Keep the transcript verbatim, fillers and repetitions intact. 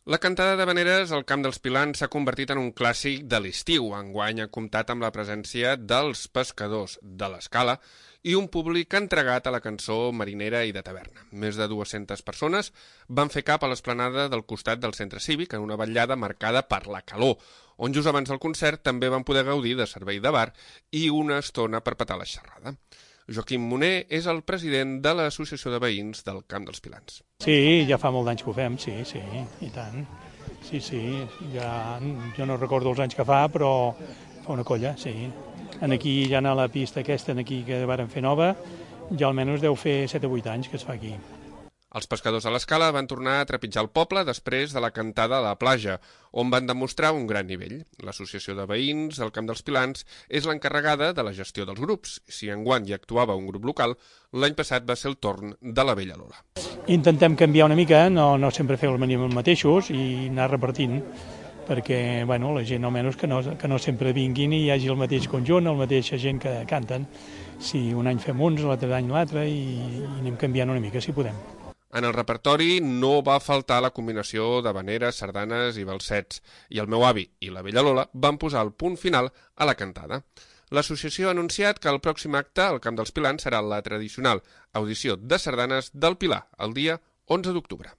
La cantada d'havaneres al Camp dels Pilans s'ha convertit en un clàssic de l'estiu. Enguany ha comptat amb la presència dels pescadors de l'Escala i un públic entregat a la cançó marinera i de taverna. Més de dues-centes persones van fer cap a l'esplanada del costat del centre cívic en una vetllada marcada per la calor, on just abans del concert també van poder gaudir de servei de bar i una estona per petar la xerrada. Joaquim Moner és el president de l'Associació de Veïns del Camp dels Pilans. Sí, ja fa molt d'anys que ho fem, sí, sí, i tant. Sí, sí, ja, jo no recordo els anys que fa, però fa una colla, sí. En aquí, ja a la pista aquesta aquí que varen fer nova, ja almenys deu fer set o vuit anys que es fa aquí. Els pescadors a l'Escala van tornar a trepitjar el poble després de la cantada a la platja, on van demostrar un gran nivell. L'Associació de Veïns del Camp dels Pilans és l'encarregada de la gestió dels grups. Si enguany hi actuava un grup local, l'any passat va ser el torn de la Vella Lola. Intentem canviar una mica, no, no sempre fer els mateixos i anar repartint, perquè bueno, la gent almenys que no, que no sempre vinguin i hi hagi el mateix conjunt, la mateixa gent que canten. Si un any fem uns, l'altre any l'altre i, i anem canviant una mica, si podem. En el repertori no va faltar la combinació d'havaneres, sardanes i balsets, i el meu avi i la Vella Lola van posar el punt final a la cantada. L'associació ha anunciat que el pròxim acte al Camp dels Pilans serà la tradicional audició de sardanes del Pilar, el dia onze d'octubre.